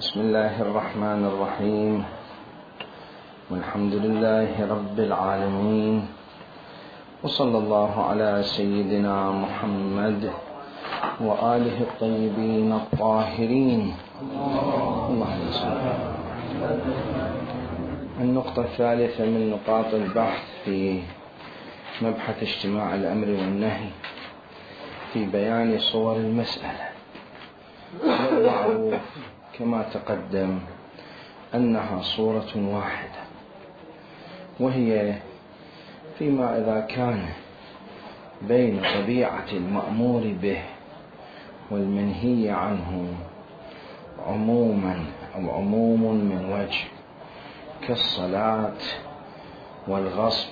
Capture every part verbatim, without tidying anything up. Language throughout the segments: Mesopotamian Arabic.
بسم الله الرحمن الرحيم، والحمد لله رب العالمين، وصلى الله على سيدنا محمد وآله الطيبين الطاهرين. اللهم صل. النقطة الثالثة من نقاط البحث في مبحث اجتماع الأمر والنهي في بيان صور المسألة. والمعروف كما تقدم أنها صورة واحدة، وهي فيما إذا كان بين طبيعة المأمور به والمنهي عنه عموما أو عموم من وجه كالصلاة والغصب،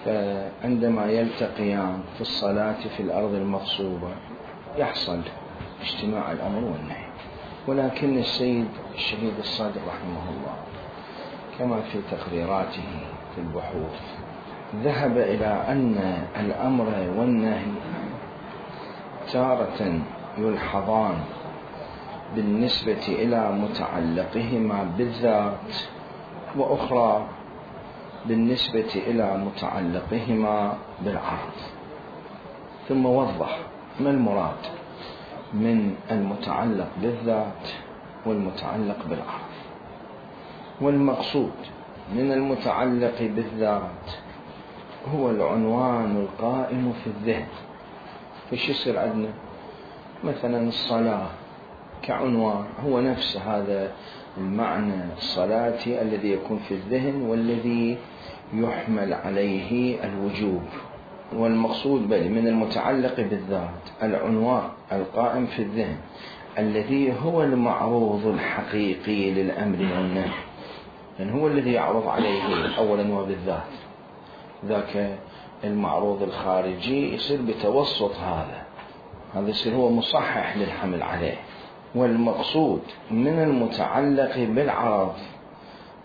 فعندما يلتقيان في الصلاة في الأرض المغصوبة يحصل اجتماع الأمر والنهي. ولكن السيد الشهيد الصادق رحمه الله كما في تقريراته في البحوث ذهب إلى أن الأمر والنهي تارة يلحظان بالنسبة إلى متعلقهما بالذات، وأخرى بالنسبة إلى متعلقهما بالعرض. ثم وضح ما المراد من المتعلق بالذات والمتعلق بالعرض. والمقصود من المتعلق بالذات هو العنوان القائم في الذهن. فش يصير عندنا مثلا الصلاة كعنوان، هو نفس هذا المعنى الصلاتي الذي يكون في الذهن والذي يحمل عليه الوجوب. والمقصود بل من المتعلق بالذات العنوان القائم في الذهن الذي هو المعروض الحقيقي للأمر والنهي، لأن هو الذي يعرض عليه أولا وبالذات. ذاك المعروض الخارجي يصير بتوسط هذا هذا يصير هو مصحح للحمل عليه. والمقصود من المتعلق بالعرض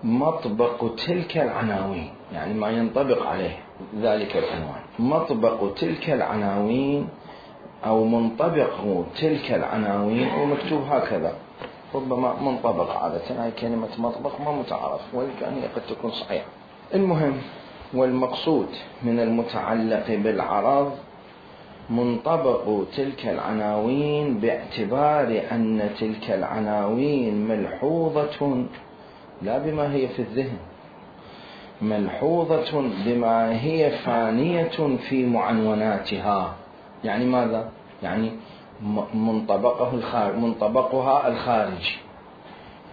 مطبق تلك العناوين، يعني ما ينطبق عليه ذلك العنوان، مطبق تلك العناوين أو منطبق تلك العناوين، ومكتوب هكذا ربما منطبق. عادة هاي كلمة مطبق ما متعارف، ولكن هي قد تكون صحيحة. المهم، والمقصود من المتعلق بالعرض منطبق تلك العناوين باعتبار أن تلك العناوين ملحوظة لا بما هي في الذهن، ملحوظة بما هي فانية في معنوناتها. يعني ماذا؟ يعني منطبقه الخارج منطبقها الخارجي،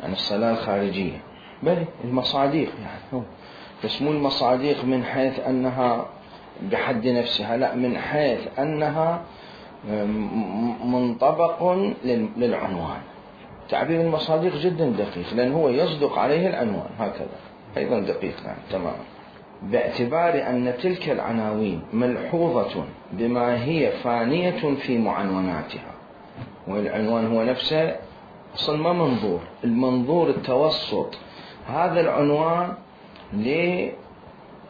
يعني الصلاة الخارجية، بل المصاديق، يعني بس مو المصاديق من حيث أنها بحد نفسها، لا، من حيث أنها منطبق للعنوان. تعبير المصاديق جدا دقيق، لأن هو يصدق عليه العنوان، هكذا أيضا دقيق. يعني تماما باعتبار أن تلك العناوين ملحوظة بما هي فانية في معنوناتها. والعنوان هو نفسه أصلا ما منظور، المنظور التوسط هذا العنوان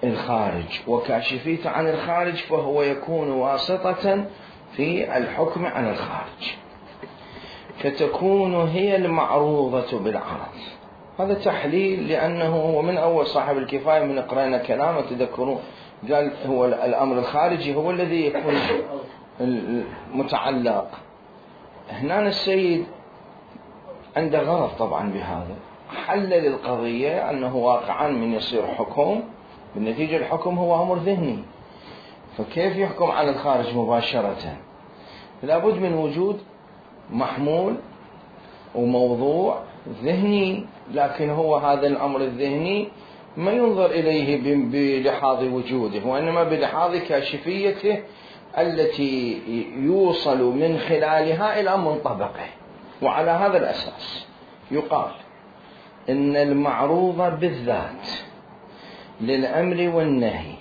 للخارج، وكاشفيته عن الخارج فهو يكون واسطة في الحكم على الخارج، فتكون هي المعروضة بالعرض. هذا تحليل، لأنه هو من أول صاحب الكفاية من قرأنا كلامه تذكرون قال هو الأمر الخارجي هو الذي يكون المتعلق. هنا السيد عنده غرض طبعا بهذا، حلل القضية أنه واقعا من يصير حكم بالنتيجة الحكم هو أمر ذهني، فكيف يحكم على الخارج مباشرة؟ لابد من وجود محمول وموضوع ذهني، لكن هو هذا الأمر الذهني ما ينظر إليه بلحاظ وجوده، وإنما بلحاظ كاشفيته التي يوصل من خلالها إلى منطبقه. وعلى هذا الأساس يقال إن المعروض بالذات للأمر والنهي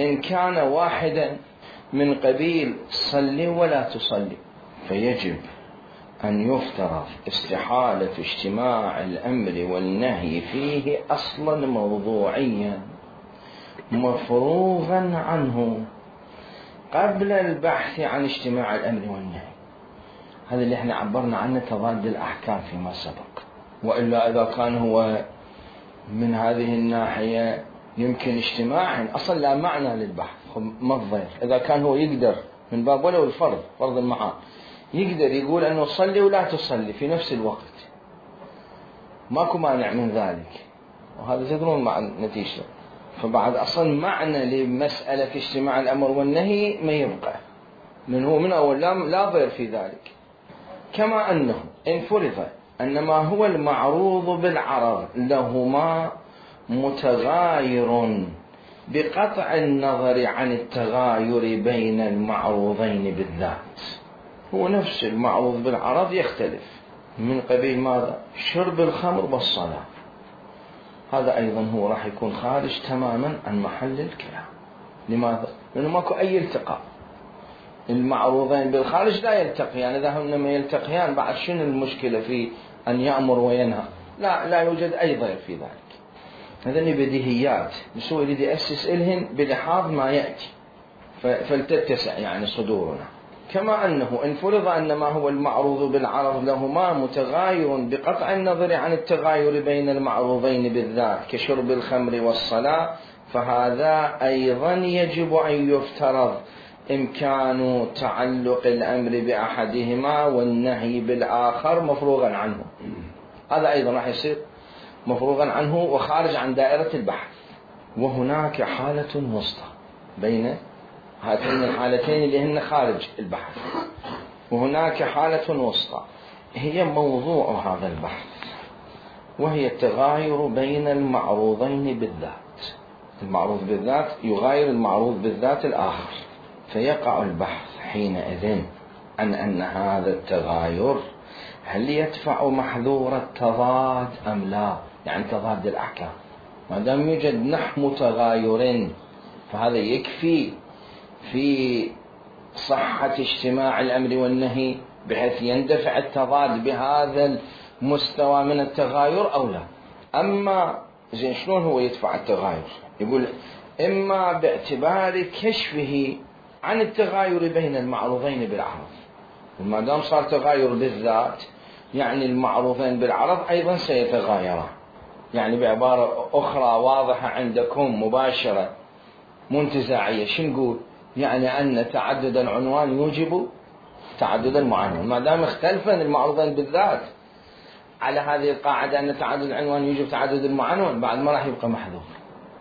إن كان واحدا من قبيل صلي ولا تصلي، فيجب أن يفترض استحالة اجتماع الأمر والنهي فيه أصلا موضوعيا مفروغا عنه قبل البحث عن اجتماع الأمر والنهي. هذا اللي احنا عبرنا عنه تضاد الأحكام فيما سبق. وإلا إذا كان هو من هذه الناحية يمكن اجتماعا أصلا لا معنى للبحث، ما الضير إذا كان هو يقدر من باب ولو الفرض فرض المحال يقدر يقول أنه صلي ولا تصلي في نفس الوقت، ماكو مانع من ذلك، وهذا تدرون مع نتيجته. فبعد أصلا معنى لمسألة اجتماع الأمر والنهي ما يبقى، من هو من أول لا ضير في ذلك. كما أنه إن فرض أن ما هو المعروض بالعرض لهما متغاير بقطع النظر عن التغاير بين المعروضين بالذات، هو نفس المعروض بالعرض يختلف من قبيل ماذا؟ شرب الخمر والصلاة، هذا أيضا هو راح يكون خارج تماما عن محل الكلام. لماذا؟ لأنه ماكو أي التقاء، المعروضين بالخارج لا يلتقيان، يعني إذا هم ما يلتقيان بعد شنو المشكلة في أن يأمر وينهى؟ لا لا يوجد أي ضير في ذلك. هذني بديهيات نسوي يريد يأسس إلهن بلحاظ ما يأتي فلتتسع يعني صدورنا. كما أنه إن فرض أن ما هو المعروض بالعرض لهما متغاير بقطع النظر عن التغاير بين المعروضين بالذات كشرب الخمر والصلاة، فهذا أيضا يجب أن يفترض إمكان تعلق الأمر بأحدهما والنهي بالآخر مفروغا عنه، هذا أيضا راح يصير مفروغا عنه وخارج عن دائرة البحث. وهناك حالة وسطى بين هاتين الحالتين اللي هن خارج البحث، وهناك حالة وسطى هي موضوع هذا البحث، وهي التغاير بين المعروضين بالذات. المعروض بالذات يغاير المعروض بالذات الآخر، فيقع البحث حينئذ عن أن هذا التغاير هل يدفع محذور التضاد أم لا، يعني تضاد الأحكام. ما دام يوجد نحو متغايرين فهذا يكفي في صحة اجتماع الأمر والنهي بحيث يندفع التضاد بهذا المستوى من التغاير أو لا. أما زين شلون هو يدفع التغاير؟ يقول إما باعتبار كشفه عن التغاير بين المعروضين بالعرض، وما دام صار تغاير بالذات يعني المعروضين بالعرض أيضا سيتغايران. يعني بعبارة أخرى واضحة عندكم مباشرة منتزاعية، شو نقول؟ يعني أن تعدد العنوان يوجب تعدد المعنون، ما دام اختلفا المعروضين بالذات على هذه القاعدة أن تعدد العنوان يوجب تعدد المعنون، بعد ما راح يبقى محذور.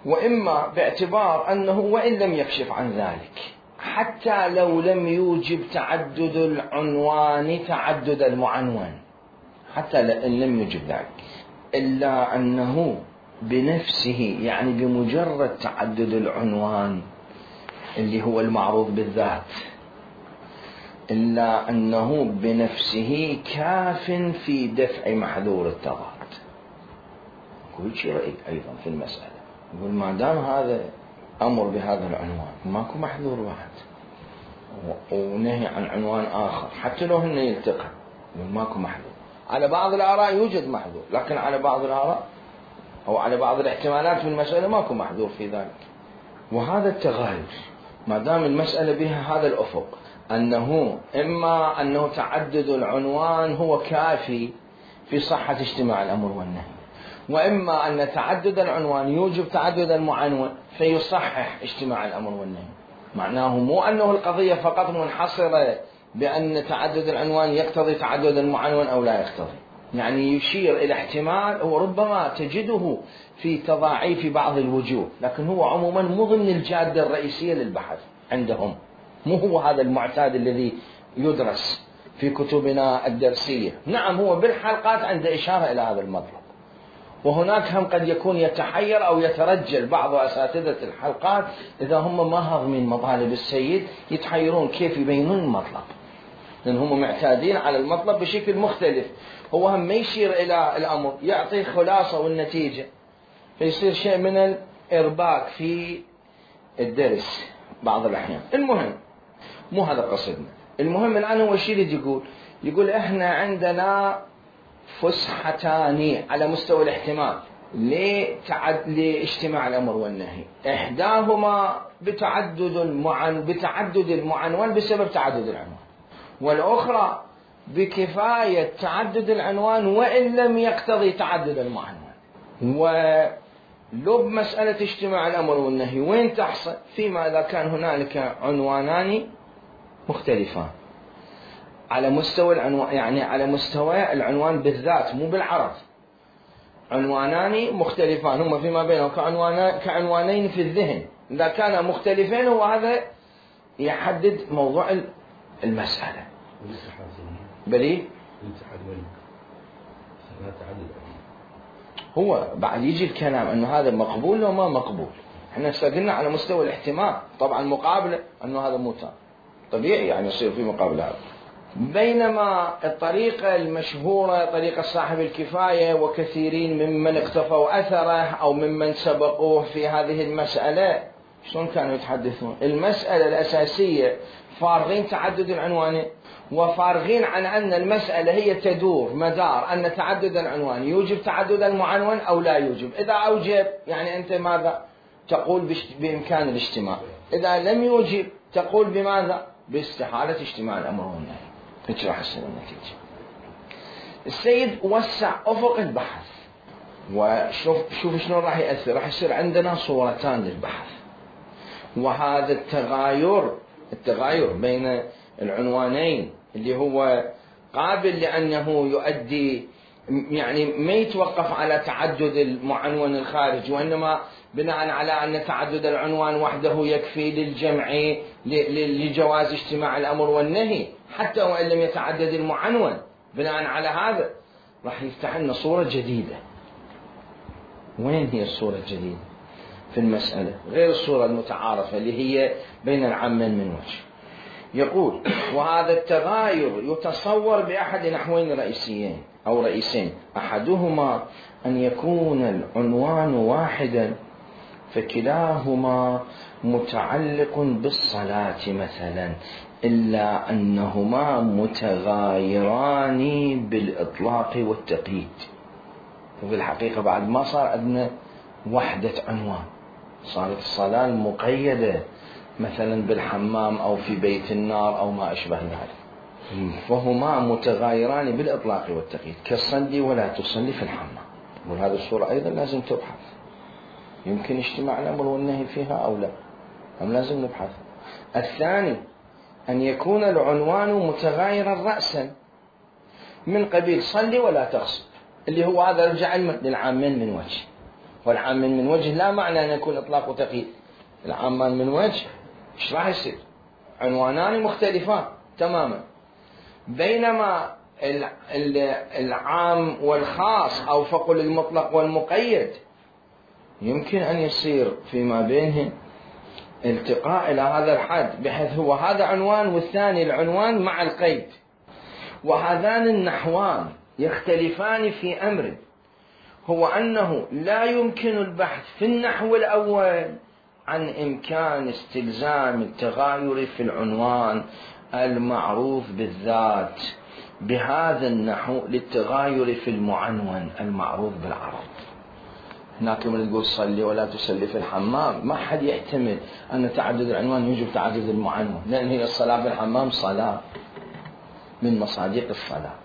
وإما باعتبار أنه وإن لم يكشف عن ذلك حتى لو لم يوجب تعدد العنوان تعدد المعنون، حتى إن لم يوجب ذلك، إلا أنه بنفسه يعني بمجرد تعدد العنوان اللي هو المعروض بالذات، إلا أنه بنفسه كاف في دفع محذور التضاد. كل شيء رأي أيضا في المسألة، يقول ما دام هذا أمر بهذا العنوان ماكو محذور واحد ونهي عن عنوان آخر حتى لو هن يلتقى، يقول ماكو محذور. على بعض الآراء يوجد محذور، لكن على بعض الآراء أو على بعض الاحتمالات في المسألة ماكو محذور في ذلك. وهذا التغاير ما دام المسألة بها هذا الأفق أنه إما أنه تعدد العنوان هو كافي في صحة اجتماع الأمر والنهي، وإما أن تعدد العنوان يوجب تعدد المعنون فيصحح اجتماع الأمر والنهي. معناه مو أنه القضية فقط منحصرة بأن تعدد العنوان يقتضي تعدد المعنون أو لا يقتضي، يعني يشير إلى احتمال وربما تجده في تضاعيف بعض الوجوه، لكن هو عموما مو ضمن الجادة الرئيسية للبحث عندهم، مو هو هذا المعتاد الذي يدرس في كتبنا الدرسية. نعم هو بالحلقات عند إشارة إلى هذا المطلب، وهناك هم قد يكون يتحير أو يترجل بعض أساتذة الحلقات إذا هم ما هضمين مطالب السيد يتحيرون كيف يبينون المطلب، لأن هم معتادين على المطلب بشكل مختلف. هو هم ما يشير إلى الأمر، يعطي خلاصة والنتيجة، فيصير شيء من الإرباك في الدرس بعض الأحيان. المهم مو هذا قصدنا، المهم الآن هو الشيء اللي يقول يقول إحنا عندنا فسحتان على مستوى الاحتمال لتعد... لاجتماع الأمر والنهي، إحداهما بتعدد المعن... بتعدد المعنون بسبب تعدد العنوان، والأخرى بكفاية تعدد العنوان وإن لم يقتضي تعدد المعنون. ولو بمسألة اجتماع الأمر والنهي وين تحصل؟ فيما إذا كان هنالك عنوانان مختلفان على مستوى العنوان، يعني على مستوى العنوان بالذات مو بالعرض، عنوانان مختلفان هما فيما بينهم كعنوانين في الذهن، إذا كانا مختلفين وهذا يحدد موضوع المسألة. بلي هو بعد يجي الكلام أنه هذا مقبول أو ما مقبول. احنا استقلنا على مستوى الاحتمال، طبعا مقابلة أنه هذا مو تام طبيعي يعني يصير في مقابلة هذا. بينما الطريقة المشهورة طريقة صاحب الكفاية وكثيرين ممن اقتفوا أثره أو ممن سبقوه في هذه المسألة شلون كانوا يتحدثون؟ المسألة الأساسية فارغين تعدد العنوان وفارغين عن أن المسألة هي تدور مدار أن تعدد العنوان يوجب تعدد المعنون أو لا يوجب. إذا أوجب يعني أنت ماذا تقول؟ بإمكان الاجتماع. إذا لم يوجب تقول بماذا؟ باستحالة اجتماع الأمر والنهي. هيك راح تصير النتيجة. السيد وسع أفق البحث، وشوف شوف شلون راح يأثر. راح يصير عندنا صورتان للبحث، وهذا التغاير التغاير بين العنوانين اللي هو قابل لأنه يؤدي يعني ما يتوقف على تعدد المعنون الخارجي، وإنما بناء على أن تعدد العنوان وحده يكفي للجمع لجواز اجتماع الأمر والنهي حتى وإن لم يتعدد المعنون. بناء على هذا راح يفتح لنا صورة جديدة. وين هي الصورة الجديدة في المسألة غير الصورة المتعارفة اللي هي بين العامين من وجه؟ يقول: وهذا التغاير يتصور بأحد نحوين رئيسيين أو رئيسين، أحدهما أن يكون العنوان واحدا فكلاهما متعلق بالصلاة مثلا، إلا أنهما متغايران بالإطلاق والتقييد. وفي الحقيقة بعد ما صار عندنا وحدة عنوان، صارت الصلاة المقيدة مثلا بالحمام أو في بيت النار أو ما أشبه ذلك، فهما متغايران بالإطلاق والتقييد كالصلي ولا تصلي في الحمام. وهذه الصورة أيضا لازم تبحث، يمكن اجتماع الأمر والنهي فيها أو لا، أم لازم نبحث. الثاني أن يكون العنوان متغايرا رأسا من قبيل صلي ولا تغصب، اللي هو هذا رجع للعامين من وجه، والعامين من وجه لا معنى أن يكون إطلاق وتقييد. العامان من وجه إيش راح يصير؟ عنوانان مختلفان تماما، بينما العام والخاص أو فقل المطلق والمقيد يمكن أن يصير فيما بينهم التقاء إلى هذا الحد، بحيث هو هذا عنوان والثاني العنوان مع القيد. وهذان النحوان يختلفان في أمر، هو أنه لا يمكن البحث في النحو الأول عن إمكان استلزام التغاير في العنوان المعروف بالذات بهذا النحو للتغاير في المعنون المعروف بالعرض. هناك من تقول صلي ولا تصلي في الحمام، ما حد يحتمل أن تعدد العنوان يوجب تعدد المعنون، لأن هي الصلاة في الحمام صلاة من مصادق الصلاة.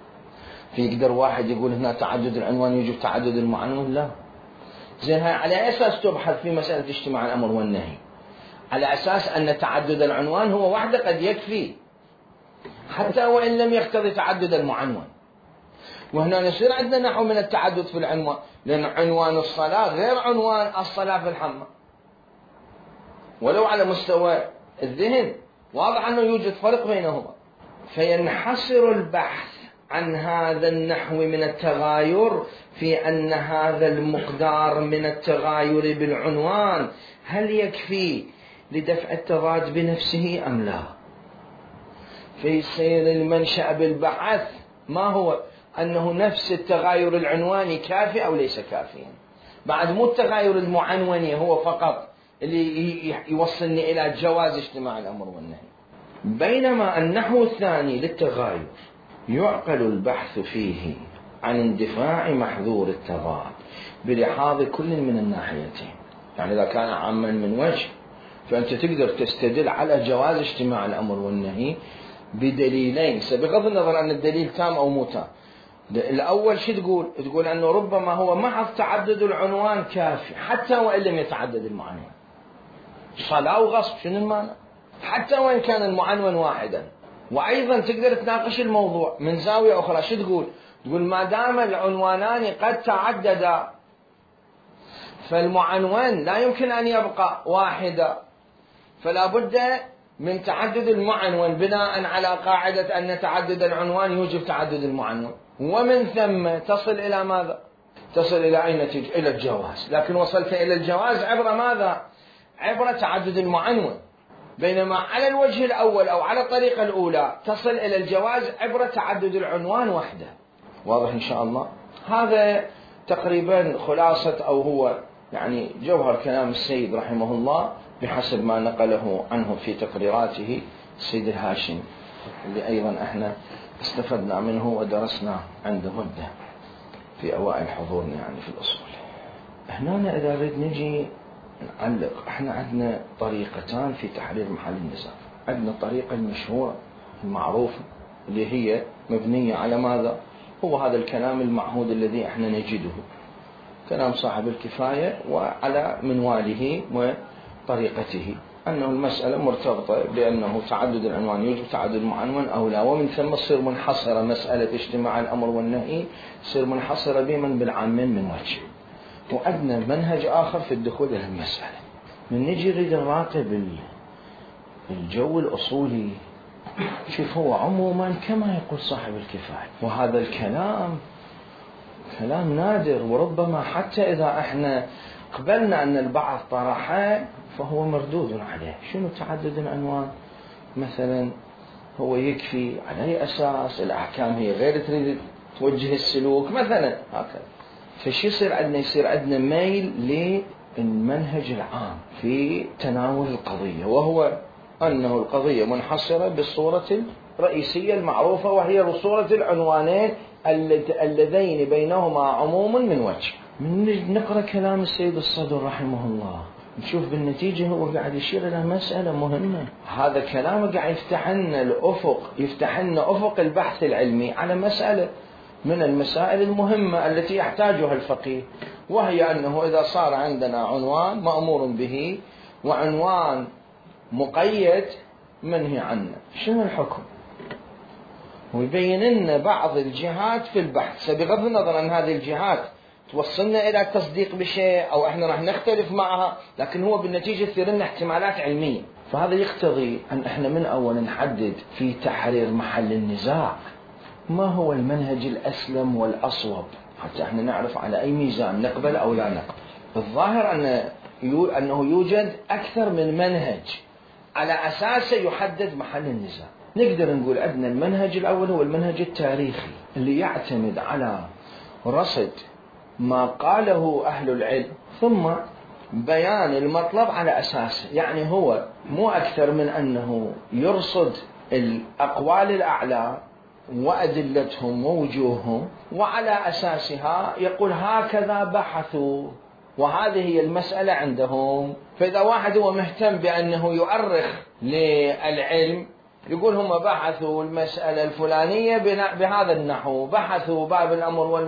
في يقدر واحد يقول هنا تعدد العنوان يوجب تعدد المعنون؟ لا. زين، هاي على أساس تبحث في مسألة اجتماع الأمر والنهي، على أساس أن تعدد العنوان هو وحده قد يكفي حتى وإن لم يقتضي تعدد المعنون. وهنا يصير عندنا نحو من التعدد في العنوان، لأن عنوان الصلاة غير عنوان الصلاة في الحمام، ولو على مستوى الذهن واضح أنه يوجد فرق بينهما. فينحصر البحث عن هذا النحو من التغاير في أن هذا المقدار من التغاير بالعنوان هل يكفي لدفع التضاد بنفسه أم لا. فيصير المنشأ بالبحث ما هو أنه نفس التغاير العنواني كافي أو ليس كافيا، بعد مو التغاير المعنوني هو فقط اللي يوصلني إلى جواز اجتماع الأمر والنهي. بينما النحو الثاني للتغاير يعقل البحث فيه عن اندفاع محذور التضاد بلحاظ كل من الناحيتين. يعني إذا كان عاما من وجه فأنت تقدر تستدل على جواز اجتماع الأمر والنهي بدليلين، بغض النظر عن الدليل تام أو مو تام. الأول شو تقول؟ تقول أنه ربما هو محض تعدد العنوان كافي حتى وإن لم يتعدد المعنون. صلاة وغصب شنو المعنى؟ حتى وإن كان المعنون واحدا. وأيضا تقدر تناقش الموضوع من زاوية أخرى. شو تقول؟ تقول ما دام العنوانان قد تعددا فالمعنون لا يمكن أن يبقى واحدا، فلا بد من تعدد المعنون بناء على قاعدة أن تعدد العنوان يوجب تعدد المعنون، ومن ثم تصل إلى ماذا؟ تصل إلى أي نتيجة؟ إلى الجواز. لكن وصلت إلى الجواز عبر ماذا؟ عبر تعدد المعنون. بينما على الوجه الأول أو على الطريقة الأولى تصل إلى الجواز عبر تعدد العنوان وحده. واضح إن شاء الله؟ هذا تقريبا خلاصة أو هو يعني جوهر كلام السيد رحمه الله بحسب ما نقله عنه في تقريراته السيد الهاشم، اللي أيضا احنا استفدنا منه ودرسنا عنده مدة في أوائل حضورنا يعني في الأصول. هنا إذا نريد نجي نعلق، احنا عندنا طريقتان في تحرير محل النزاع. عندنا الطريقة المشهورة المعروفة اللي هي مبنية على ماذا؟ هو هذا الكلام المعهود الذي احنا نجده، كلام صاحب الكفاية وعلى منواله وطريقته، أنه المسألة مرتبطة بأنه تعدد العنوان يوجب تعدد المعنون أو لا، ومن ثم تصير منحصرة مسألة اجتماع الأمر والنهي تصير منحصرة بمن بالعامين من وجه. وعندنا منهج آخر في الدخول إلى المسألة. من نجي نريد نراقب الجو الأصولي، شوف هو عموما كما يقول صاحب الكفاية، وهذا الكلام كلام نادر، وربما حتى إذا احنا قبلنا أن البعض طرحه فهو مردود عليه. شنو تعدد العنوان؟ مثلا هو يكفي على أي أساس؟ الأحكام هي غير تريد توجه السلوك مثلا هكذا. فشي يصير عندنا؟ يصير عندنا ميل للمنهج العام في تناول القضية، وهو أنه القضية منحصرة بالصورة الرئيسية المعروفة، وهي صورة العنوانين اللذين بينهما عموم من وجه. من نقرأ كلام السيد الصدر رحمه الله نشوف بالنتيجة هو قاعد يشير إلى مسألة مهمة. هذا كلامه قاعد يفتح لنا الأفق، يفتح لنا أفق البحث العلمي على مسألة من المسائل المهمة التي يحتاجها الفقيه، وهي أنه إذا صار عندنا عنوان مأمور به وعنوان مقيد منهي عنه، شنو الحكم؟ ويبين لنا بعض الجهات في البحث، بغض النظر عن هذه الجهات توصلنا إلى التصديق بشيء أو إحنا راح نختلف معها، لكن هو بالنتيجة يصير لنا احتمالات علمية. فهذا يقتضي أن إحنا من أول نحدد في تحرير محل النزاع ما هو المنهج الأسلم والأصوب، حتى إحنا نعرف على أي ميزان نقبل أو لا نقبل. الظاهر أن أنه يوجد أكثر من منهج على أساسه يحدد محل النزاع. نقدر نقول عندنا المنهج الأول هو المنهج التاريخي اللي يعتمد على رصد ما قاله أهل العلم ثم بيان المطلب على أساسه. يعني هو مو أكثر من أنه يرصد الأقوال الأعلى وأدلتهم ووجوههم، وعلى أساسها يقول هكذا بحثوا وهذه هي المسألة عندهم. فإذا واحد هو مهتم بأنه يؤرخ للعلم يقول هم بحثوا المسألة الفلانية بهذا النحو، بحثوا باب الأمر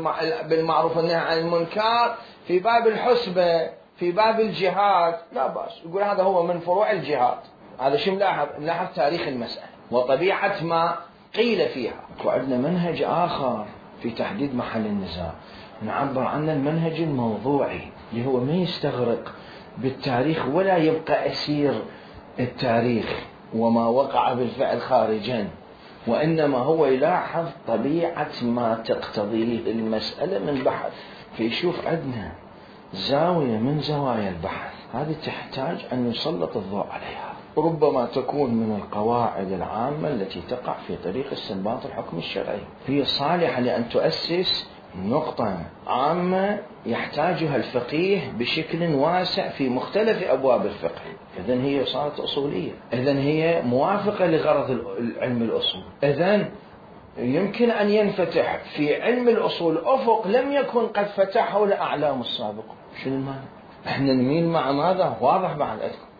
بالمعروف والنهي عن المنكر في باب الحسبة في باب الجهاد، لا بأس. يقول هذا هو من فروع الجهاد. هذا شيء ملاحظ ملاحظ تاريخ المسألة وطبيعة ما قيل فيها. وعندنا منهج آخر في تحديد محل النزاع نعبر عنه المنهج الموضوعي، اللي هو ما يستغرق بالتاريخ ولا يبقى أسير التاريخ وما وقع بالفعل خارجا، وإنما هو يلاحظ طبيعة ما تقتضيه المسألة من بحث. فيشوف عندنا زاوية من زوايا البحث هذه تحتاج أن يسلط الضوء عليها، ربما تكون من القواعد العامة التي تقع في طريق استنباط الحكم الشرعي، هي صالحة لأن تؤسس نقطة عامة يحتاجها الفقيه بشكل واسع في مختلف أبواب الفقه. إذن هي صارت أصولية، إذن هي موافقة لغرض العلم الأصول. إذن يمكن أن ينفتح في علم الأصول أفق لم يكن قد فتحه الأعلام السابقون. شنو المعنى؟ إحنا نميل مع ماذا؟ واضح بعد أذكر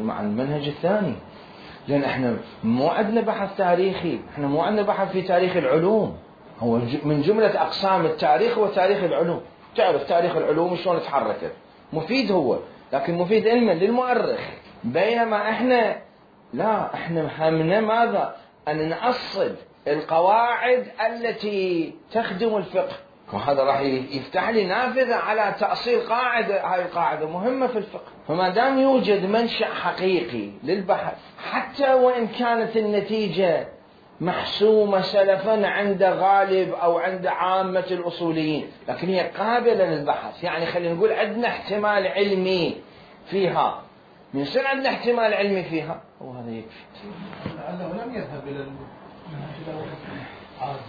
مع المنهج الثاني، لأن احنا مو عندنا بحث تاريخي، احنا مو عندنا بحث في تاريخ العلوم. هو من جملة أقسام التاريخ هو تاريخ العلوم. تعرف تاريخ العلوم شلون تحركت، مفيد هو، لكن مفيد علما للمؤرخ. بينما احنا لا، احنا همنا ماذا؟ أن نأصل القواعد التي تخدم الفقه، وهذا راح يفتح لي نافذة على تأصيل قاعدة. هاي القاعدة مهمة في الفقه. فما دام يوجد منشأ حقيقي للبحث، حتى وإن كانت النتيجة محسومة سلفا عند غالب أو عند عامة الأصوليين، لكن هي قابلة للبحث. يعني خلينا نقول عندنا احتمال علمي فيها، من يصير عندنا احتمال علمي فيها وهذا يكفي. لأنه لم يذهب إلى المنهج الأول عادي.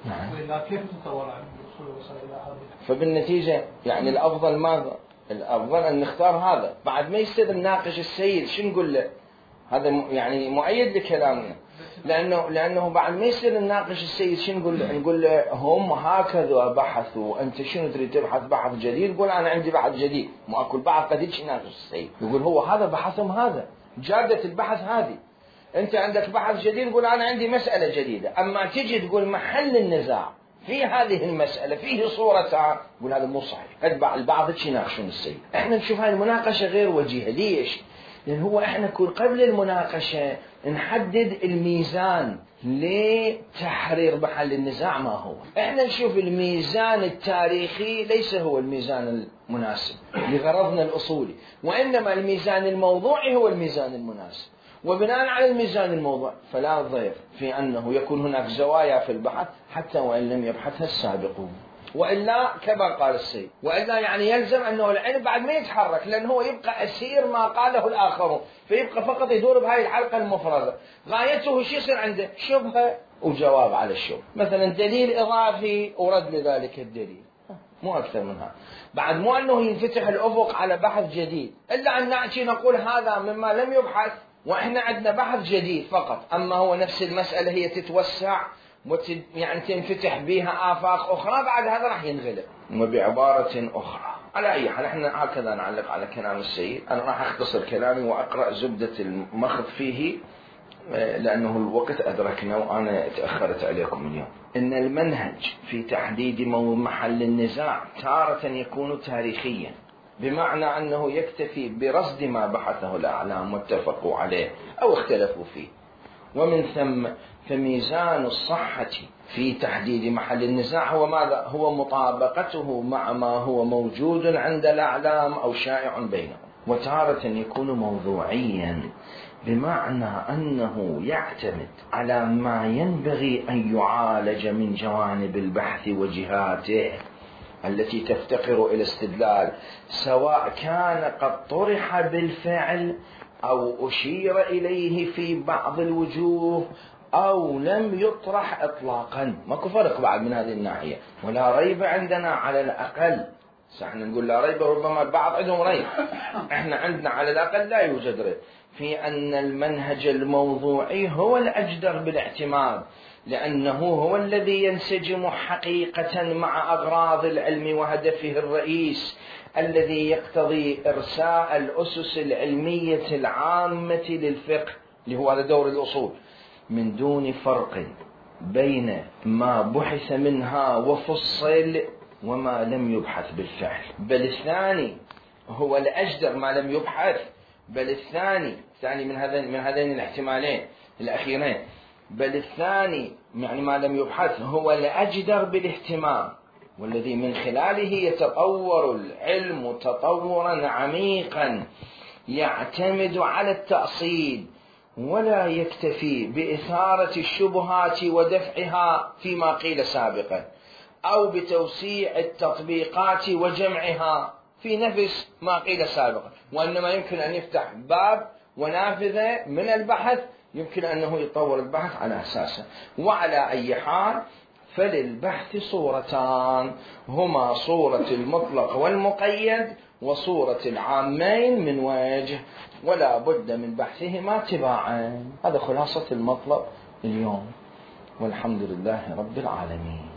نعم. وإلا كيف تطور عن الأصول وصل إلى هذه؟ فبالنتيجة يعني الأفضل ماذا؟ الأفضل أن نختار هذا. بعد ما يصير نناقش السيد شو نقول له؟ هذا يعني مؤيد لكلامنا. لأنه لأنه بعد ما يصير نناقش السيد شو نقول له؟ نقول له هم هكذا بحثوا، أنت شنو تريد تبحث بحث جديد؟ يقول أنا عندي بحث جديد، مو أكل بحث قديش يناقش السيد. يقول هو هذا بحثهم، هذا جادة البحث هذه. أنت عندك بحث جديد، يقول أنا عندي مسألة جديدة. أما تجي تقول محل النزاع في هذه المسألة فيه صورتان، يقول هذا مو صحيح. اتبع البعض يناقشون السيد. احنا نشوف هاي المناقشة غير وجيهة. ليش؟ لأن هو احنا كل قبل المناقشة نحدد الميزان لتحرير محل النزاع ما هو. احنا نشوف الميزان التاريخي ليس هو الميزان المناسب لغرضنا الأصولي، وإنما الميزان الموضوعي هو الميزان المناسب. وبناء على الميزان الموضوع فلا ضير في أنه يكون هناك زوايا في البحث حتى وإن لم يبحثها السابقون. وإلا كما قال السيد، وإلا يعني يلزم أنه العلم بعد ما يتحرك، لأنه هو يبقى أسير ما قاله الآخرون، فيبقى فقط يدور بهاي الحلقة المفرغة. غايته شو يصير عنده؟ شبهة وجواب على الشبهة، مثلا دليل إضافي ورد لذلك الدليل، مو أكثر من هذا. بعد مو أنه ينفتح الأفق على بحث جديد، إلا أن نأتي نقول هذا مما لم يبحث وإحنا عندنا بحث جديد فقط. أما هو نفس المسألة هي تتوسع وتد يعني تنفتح بها آفاق أخرى، بعد هذا راح ينغلق. وبعبارة أخرى، على أي حال احنا هكذا نعلق على كلام السيد. أنا راح أختصر كلامي وأقرأ زبدة المخض فيه لأنه الوقت أدركنا وأنا تأخرت عليكم اليوم. إن المنهج في تحديد محل النزاع تارة يكون تاريخيا، بمعنى أنه يكتفي برصد ما بحثه الأعلام واتفقوا عليه أو اختلفوا فيه، ومن ثم فميزان الصحة في تحديد محل النزاع هو ماذا؟ هو مطابقته مع ما هو موجود عند الأعلام أو شائع بينهم. وتارة يكون موضوعيا، بمعنى أنه يعتمد على ما ينبغي أن يعالج من جوانب البحث وجهاته التي تفتقر إلى استدلال، سواء كان قد طرح بالفعل أو أشير إليه في بعض الوجوه أو لم يطرح إطلاقا. ماكو فرق بعد من هذه الناحية. ولا ريب عندنا على الأقل، احنا نقول لا ريب، ربما البعض عندهم ريب، احنا عندنا على الأقل لا يوجد ريب في أن المنهج الموضوعي هو الأجدر بالاعتماد، لأنه هو الذي ينسجم حقيقة مع أغراض العلم وهدفه الرئيس الذي يقتضي إرساء الأسس العلمية العامة للفقه، اللي هو هذا دور الأصول، من دون فرق بين ما بحث منها وفصل وما لم يبحث بالفعل. بل الثاني هو الأجدر ما لم يبحث، بل الثاني الثاني من هذين من هذين الاحتمالين الأخيرين، بل الثاني يعني ما لم يبحث هو الأجدر بالاهتمام، والذي من خلاله يتطور العلم تطورا عميقا يعتمد على التأصيل ولا يكتفي بإثارة الشبهات ودفعها فيما قيل سابقا، أو بتوسيع التطبيقات وجمعها في نفس ما قيل سابقا، وإنما يمكن أن يفتح باب ونافذة من البحث يمكن أنه يطور البحث على أساسه. وعلى أي حال فللبحث صورتان، هما صورة المطلق والمقيد وصورة العامين من وجه، ولا بد من بحثهما تباعا. هذا خلاصة المطلب اليوم، والحمد لله رب العالمين.